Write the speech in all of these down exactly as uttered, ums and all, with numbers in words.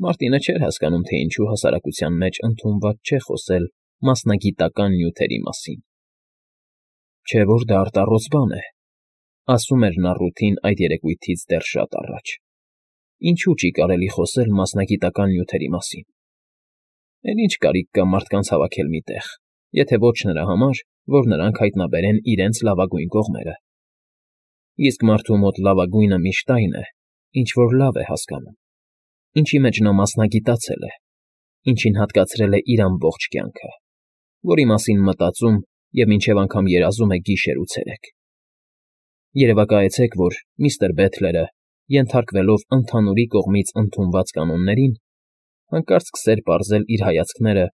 Մարտինը չէր հասկանում, թե ինչու հասարակության մեջ ընդունված չէ խոսել մասնագիտական նյութերի մասին։ «Չէ՞ որ դա արտառոց բան է,֊ ասում էր նա Ռութին այդ երեկույթից դեռ շատ առաջ,֊ ինչու՞ չի կարելի խոսել մասնագիտական նյութերի մասին։ Էլ ինչ կարիք կա մարդկանց հավաքել մի տեղ, եթե ոչ նրա համար, որ նրանք հայտնաբերեն իրենց լավագույն կողմերը։ Իսկ մարդու մոտ լավագույնը միշտ այն է, ինչ որ լավ է հասկանում, ինչի մեջ նա մասնագիտացել է, ինչին հատկացրել է իր ամբողջ կյանքը, որի մասին մտածում և մինչև անգամ երազում է գիշեր ու ցերեկ։ Երևակայեցեք, որ միստր Բեթլերը, ենթարկվելով ընդհանուրի կողմից ընդունված կանոններին, հանկարծ սկսեր պարզել իր հայացքները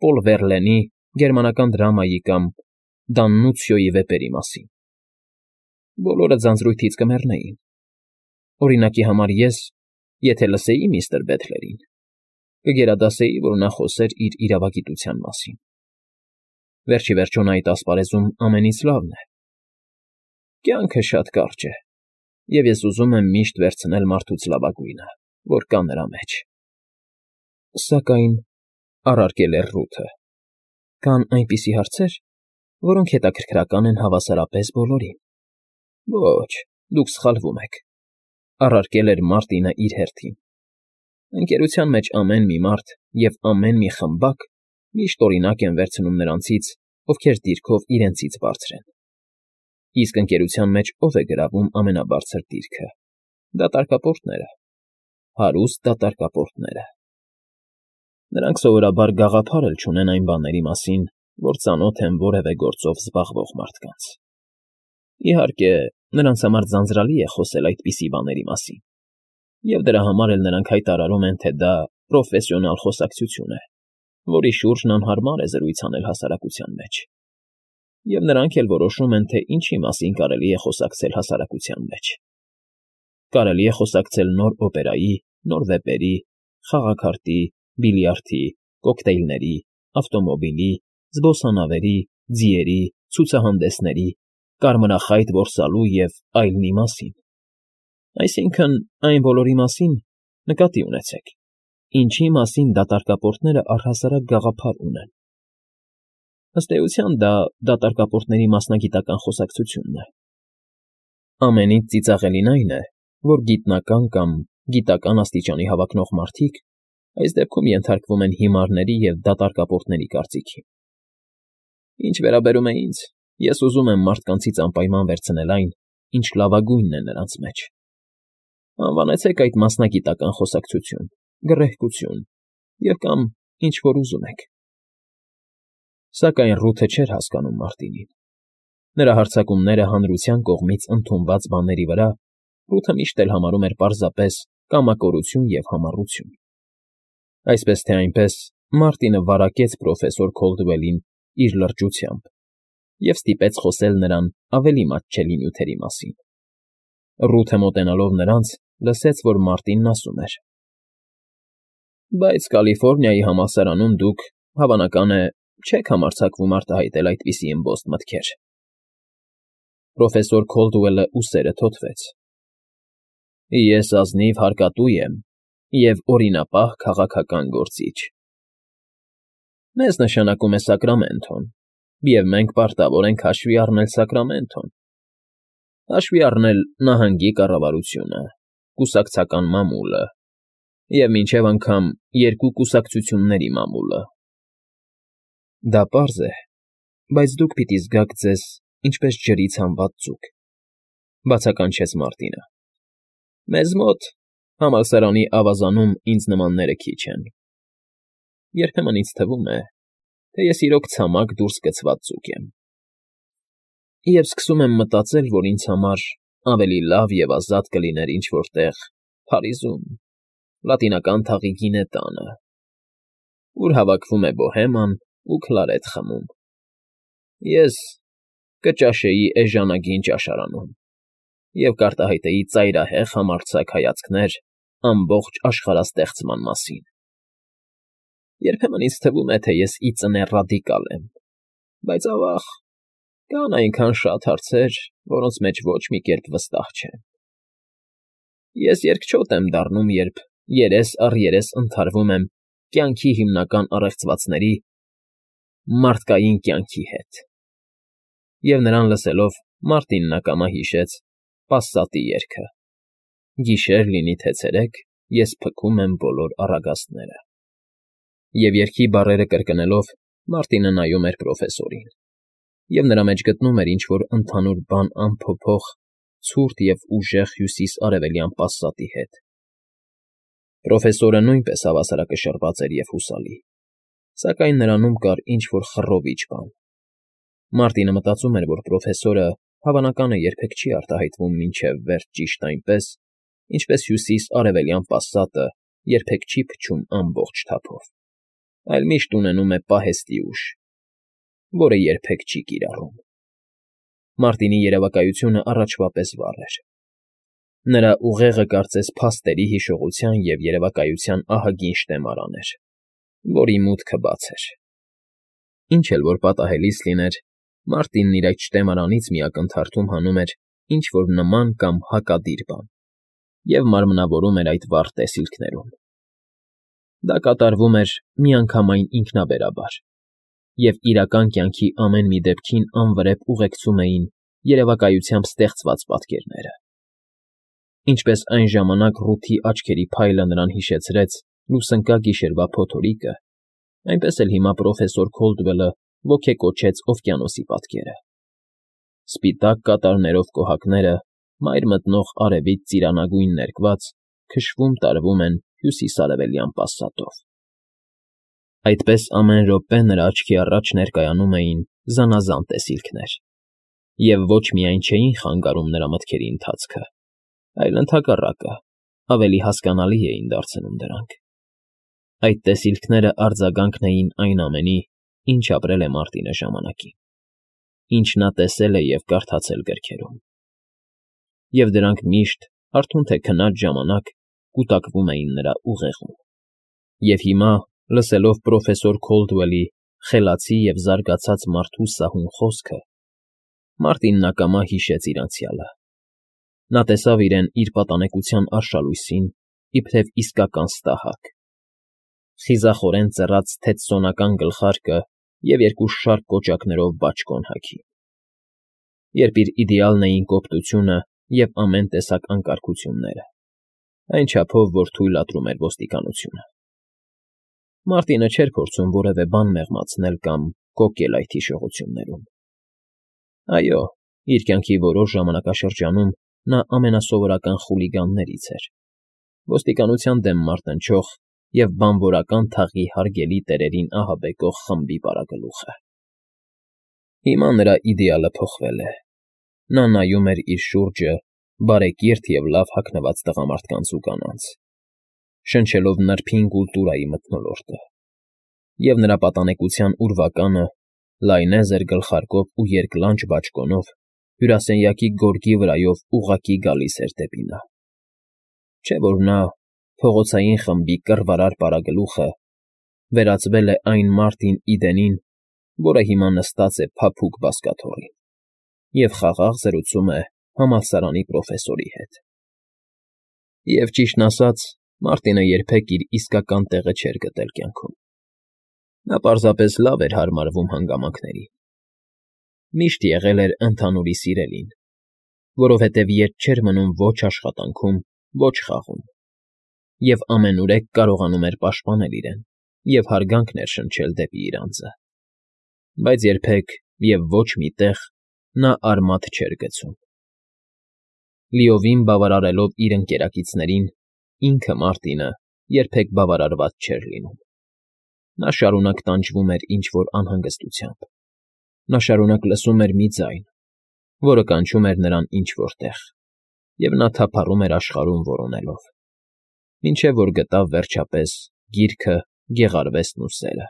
Պոլ Վերլենի գերմանական դրամայի կամ Դաննուցիոյի վեպերի մասին։ Բոլորը ձանձրույթից կմեռնեին։ Օրինակի համար ես, եթե լսեի միստր Բեթլերին, կգերադասեի, որ նա խոսեր իր իրավագիտության մասին։ Վերջ ի վերջո նա այդ ասպարեզում ամենից լավն է։ Կյանքը շատ կարճ է, և ես ուզում եմ միշտ վերցնել մարդուց լավագույնը, որ կա նրա մեջ։ ֊ Սակայն,֊ առարկել էր Ռութը,֊ կան այնպիսի հարցեր, որոնք հետաքրքրական են հավասարապես բոլորին։ ֊ Ոչ, դուք սխալվում եք,֊ առարկել էր Մարտինը իր հերթին։ Ընկերության մեջ ամեն մի մարդ և ամեն մի խմբակ միշտ օրինակ են վերցնում նրանցից, ովքեր դիրքով իրենցից բարձր են։ Իսկ ընկերության մեջ ո՞վ է գրավում ամենաբարձր դիրքը։ Դատարկապորտները, հարուստ դատարկապորտները։ Նրանք սովորաբար գաղափար էլ չունեն այն բաների մասին, որ ծանոթ են որևէ գործով զբաղվող մարդկանց։ Իհարկե, նրանց համար ձանձրալի է խոսել այդպիսի բաների մասին, և դրա համար էլ նրանք հայտարարում են, թե դա պրոֆեսիոնալ խոսակցություն է, որի շուրջն անհարմար է զրույց անել հասարակության մեջ։ Եվ նրանք էլ որոշում են, թե ինչի մասին կարելի է խոսակցել հասարակության մեջ։ Կարելի է խոսակցել նոր օպերայի, նոր վեպերի, խաղաքարտի, բիլիարդի, կոկտեյլների, ավտոմոբիլի, զբոսանավերի, ձիերի, ցուցահանդեսների, կարմրախայտ որսալու և այլնի մասին։ Այսինքն՝ այն բոլորի մասին, նկատի ունեցեք, ինչի մասին դատարկապորտները առհասարակ գաղափար ունեն։ Ըստ էության, դա դատարկապորտների մասնագիտական խոսակցությունն է։ Ամենից ծիծաղելին այն է, որ գիտնական կամ գիտական աստիճանի հավակնող մարդիկ այս դեպքում ենթարկվում են հիմարների և դատարկապորտների կարծիքին։ Ինչ վերաբերում է ինձ, ես ուզում եմ մարդկանցից անպայման վերցնել այն, ինչ լավագույնն է նրանց մեջ։ Անվանեցեք այդ մասնագիտական խոսակցություն, գռեհկություն և կամ ինչ որ ուզում եք։ Սակայն Ռութը չէր հասկանում Մարտինին։ Նրա հարձակումները հանրության կողմից ընդունված բաների վրա Ռութը միշտ էլ համարում էր պարզապես կամակորություն և համառություն։ Այսպես թե այնպես Մարտինը վարակեց պրոֆեսոր Քոլդուելին իր լրջությամբ և ստիպեց խոսել նրան ավելի մատչելի նյութերի մասին։ Ռութը մոտենալով նրանց, լսեց, որ Մարտինն ասում էր. «Բայց Կալիֆոռնիայի համալսարանում դուք, հավանական է, չեք համարձակվում արտահայտել այդպիսի ըմբոստ մտքեր»։ Պրոֆեսոր Քոլդուելը ուսերը թոթվեց։ «Ես ազնիվ հարկատու եմ և օրինապահ քաղաքական գործիչ։ Մեզ նշանակում է Սակրամենթոն, և մենք պարտավոր ենք հաշվի առնել Սակրամենթոն, հաշվի առնել նահանգի կառավարությունը, կուսակցական մամուլը և մինչև անգամ երկու կուսակցությունների մամուլը»։ Դա պարզ է, բայց դուք պիտի զգաք ձեզ ինչպես ջրից հանված ձուկ,֊ բացականչեց Մարտինը։ «Մեզ մոտ, համալսարանի ավազանում ինձ նմանները քիչ են։ Երբեմն ինձ թվում է, թե ես իրոք ցամաք դուրս գցված ձուկ եմ։ Եվ սկսում եմ մտածել, որ ինձ համար ավելի լավ և ազատ կլիներ ինչ֊որ տեղ Փարիզում, Լատինական թաղի գինե տանը, ուր հավաքվում է բոհեման ու քլարետ խմում։ Ես կճաշեի էժանագին ճաշարանում և կարտահայտեի ծայրահեղ համարձակ հայացքներ ամբողջ աշխարհաստեղծման մասին։ Երբեմն ինձ թվում է, թե ես ի ծնե ռադիկալ եմ, բայց, ավա՜ղ, կան այնքան շատ հարցեր, որոնց մեջ ոչ մի կերպ վստահ չեմ։ Ես երկչոտ եմ դառնում, երբ երես առ երես ընդհարվում եմ կյանքի հիմնական առեղծվածների՝ մարդկային կյանքի հետ։ Եվ նրան լսելով Մարտինն ակամա հիշեց Պասսատի երգը. «Գիշեր լինի թե ցերեկ, ես փքում եմ բոլոր առագաստները»։ Եվ երգի բառերը կրկնելով Մարտինը նայում էր պրոֆեսորին, և նրա մեջ գտնում էր ինչ֊որ ընդհանուր բան անփոփոխ, ցուրտ և ուժեղ հյուսիս֊արևելյան պասատի հետ։ Պրոֆեսորը նույնպես հավասարակշռված էր և հուսալի, սակայն նրանում կար ինչ֊որ խռովիչ բան։ Մարտինը մտածում էր, որ պրոֆեսորը, հավանական է, երբեք չի արտահայտվում մինչև վերջ ճիշտ այնպես, ինչպես հյուսիս֊արևելյան պասատը երբեք չի փչում ամբողջ թափով, այլ միշտ ունենում է պահեստի ուժ, որը երբեք չի կիրառում։ Մարտինի երևակայությունը առաջվա պես վառ էր։ Նրա ուղեղը կարծես փաստերի հիշողության և երևակայության ահագին շտեմարան էր, որի մուտքը բաց էր։ Ինչ էլ որ պատահելիս լիներ, Մարտինն իր այդ շտեմարանից մի ակնթարթում հանում էր ինչ֊որ նման կամ հակադիր բան և մարմնավորում էր այդ վառ տեսիլքներում։ Դա կատարվում էր միանգամայն ինքնաբերաբար, և իրական կյանքի ամեն մի դեպքին անվրեպ ուղեկցում էին երևակայությամբ ստեղծված պատկերները։ Ինչպես այն ժամանակ ռութի աչքերի փայլը նրան հիշեցրեց լուսնկա գիշերվա փոթորիկը, այնպես էլ հիմա պրոֆեսոր Քոլդվելը ոգեկոչեց օվկիանոսի պատկերը։ Սպիտակ կատարներով կոհակները, մայր մտնող արևից ծիրանագույն ներկված, քշվում֊տարվում են հյուսիս֊արևելյան պասատով։ Այդպես ամեն րոպե նրա աչքի առաջ ներկայանում էին զանազան տեսիլքներ, և ոչ միայն չէին խանգարում նրա մտքերի ընթացքը, այլ ընդհակառակը, ավելի հասկանալի էին դարձնում դրանք։ Այդ տեսիլքները արձագանքն էին այն ամենի, ինչ ապրել է Մարտինը ժամանակին, ինչ նա տեսել է և կարդացել գրքերում։ Եվ դրանք միշտ, հարթուն թե քնած ժամանակ, կուտակվում էին նրա ուղեղում։ Եվ հիմա, լսելով պրոֆեսոր Քոլդվելի խելացի և զարգացած մարդու սահուն խոսքը, Մարտինն ակամա հիշեց իր անցյալը։ Նա տեսավ իրեն իր պատանեկության արշալույսին իբրև իսկական ստահակ, խիզախորեն ծռած թեցծոնական գլխարկը և երկու շարք կոճակներով բաճկոն հագի։ Երբ իր իդեալն էին կոպտությունը և ամեն տեսակ անկարգությունները, այն չափով, որ թույլատրում էր ոստիկանությունը։ Մարտինը չէր փորձում որևէ բան մեղմացնել կամ կոկել այդ հիշողություններում։ Այո, իր կյանքի որոշ ժամանակաշրջանում նա ամենասովորական խուլիգաններից էր, ոստիկանության դեմ մարտնչող և բանվորական թաղի հարգելի տերերին ահաբեկող խմբի պարագլուխը։ Հիմա նրա իդեալը փոխվել է։ Նա նայում էր իր շուրջը բարեկիրթ և լավ հագնված տղամարդկանց ու կանանց, շնչելով նրբին կուլտուրայի մթնոլորտը, և նրա պատանեկության ուրվականը, լայնեզր գլխարկով ու երկլանջ բաճկոնով, հյուրասենյակի գորգի վրայով ուղղակի գալիս էր դեպի նա։ Չէ՞ որ նա, փողոցային խմբի կռվարար պարագլուխը, վերածվել է այն Մարտին Իդենին, որը հիմա նստած է փափուկ բազկաթոռին և խաղաղ զրուցում է համալսարանի պրոֆեսորի հետ։ Եվ, ճիշտն ասած, Մարտինը երբեք իր իսկական տեղը չէր գտել կյանքում։ Նա պարզապես լավ էր հարմարվում հանգամանքներին։ Միշտ եղել էր ընդհանուրի սիրելին, որովհետև ետ չէր մնում ոչ աշխատանքում, ոչ խաղում, և ամենուրեք կարողանում էր պաշտպանել իրեն և հարգանք ներշնչել դեպի իր անձը։ Բայց երբեք և ոչ մի տեղ նա արմատ չէր գցում։ Լիովին բավարարելով իր ընկերակիցներին, ինքը՝ Մարտինը, երբեք բավարարված չէր լինում։ Նա շարունակ տանջվում էր ինչ֊որ անհանգստությամբ։ Նա շարունակ լսում էր մի ձայն, որը կանչում էր նրան ինչ֊որ տեղ, և նա թափառում էր աշխարհում որոնելով, մինչև որ գտավ, վերջապես, գիրքը, Գեղարվեստն ու սերը։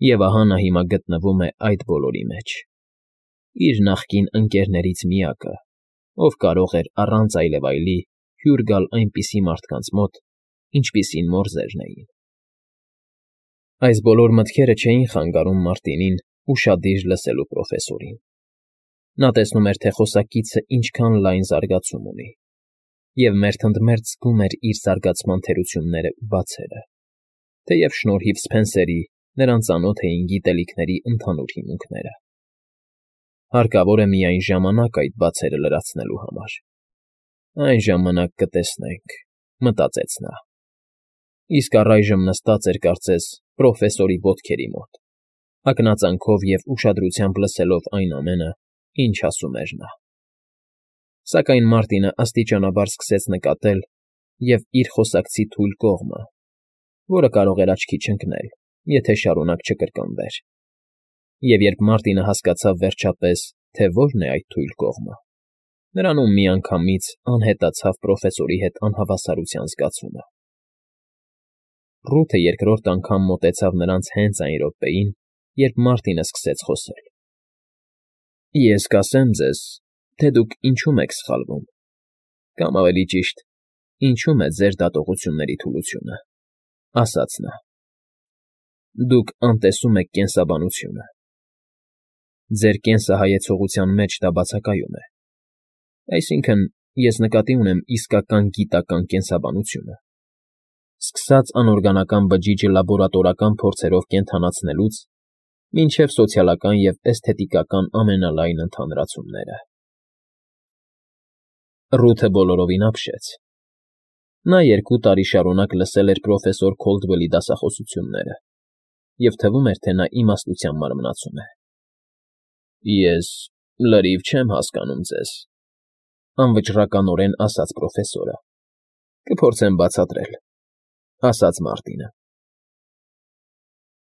Եվ ահա նա հիմա գտնվում է այդ բոլորի մեջ, իր նախկին ընկերներից միակը, ով կարող էր առանց այլևայլի հյուր գալ այնպիսի մարդկանց մոտ, ինչպիսին մորզերն էին։ Այս բոլոր մտքերը չէին խանգարում Մարտինին ուշադիր լսելու պրոֆեսորին։ Նա տեսնում էր, թե խոսակիցն ինչքան լայն զարգացում ունի, և մերթընդմերթ զգում էր իր զարգացման թերություններն ու բացերը, թեև շնորհիվ Սփենսերի նրան ծանոթ էին գիտելիքների ընդհանուր հիմունքները։ Հարկավոր է միայն ժամանակ այդ բացերը լրացնելու համար։ Այն ժամանակ կտեսնենք, մտածեց նա։ Իսկ առայժմ նստած էր կարծես պրոֆեսորի ոտքերի մոտ, հագնածանքով և ուշադրությամբ լսելով այն ամենը, ինչ ասում էր նա։ Սակայն Մարտինը աստիճանաբար սկսեց նկատել և իր խոսակցի թույլ կողմը, որը կարող էր աչքի չընկնել, եթե շարունակ չկրկնվեր։ Եվ երբ Մարտինը հասկացավ վերջապես, թե որն է այդ թույլ կողմը, նրանում միանգամից անհետացավ պրոֆեսորի հետ անհավասարության զգացումը։ Ռութը երկրորդ անգամ մոտեցավ նրանց հենց այն րոպեին, երբ Մարտինը սկսեց խոսել։ ֊ Ես կասեմ ձեզ, թե դուք ինչում եք սխալվում, կամ ավելի ճիշտ, ինչում է ձեր դատողությունների թուլությունը, ֊ ասաց նա։ Դուք անտեսում եք կենսաբանությունը։ Ձեր կենսահայեցողության մեջ դա բացակայում է։ Այսինքն՝ ես նկատի ունեմ իսկական գիտական կենսաբանությունը, սկսած անօրգանական բջիջը լաբորատորական փորձերով կենդանացնելուց մինչև սոցիալական և էսթետիկական ամենալայն ընդհանրացումները։ Ռութը բոլորովին ապշեց։ Նա երկու տարի շարունակ լսել էր պրոֆեսոր Քոլդվելի դասախոսությունները, և թվում էր, թե նա իմաստության մարմնացում է։ ֊ Ես լրիվ չեմ հասկանում ձեզ,֊ անվճռականորեն ասաց պրոֆեսորը։ ֊ Կփորձեմ բացատրել,֊ ասաց Մարտինը։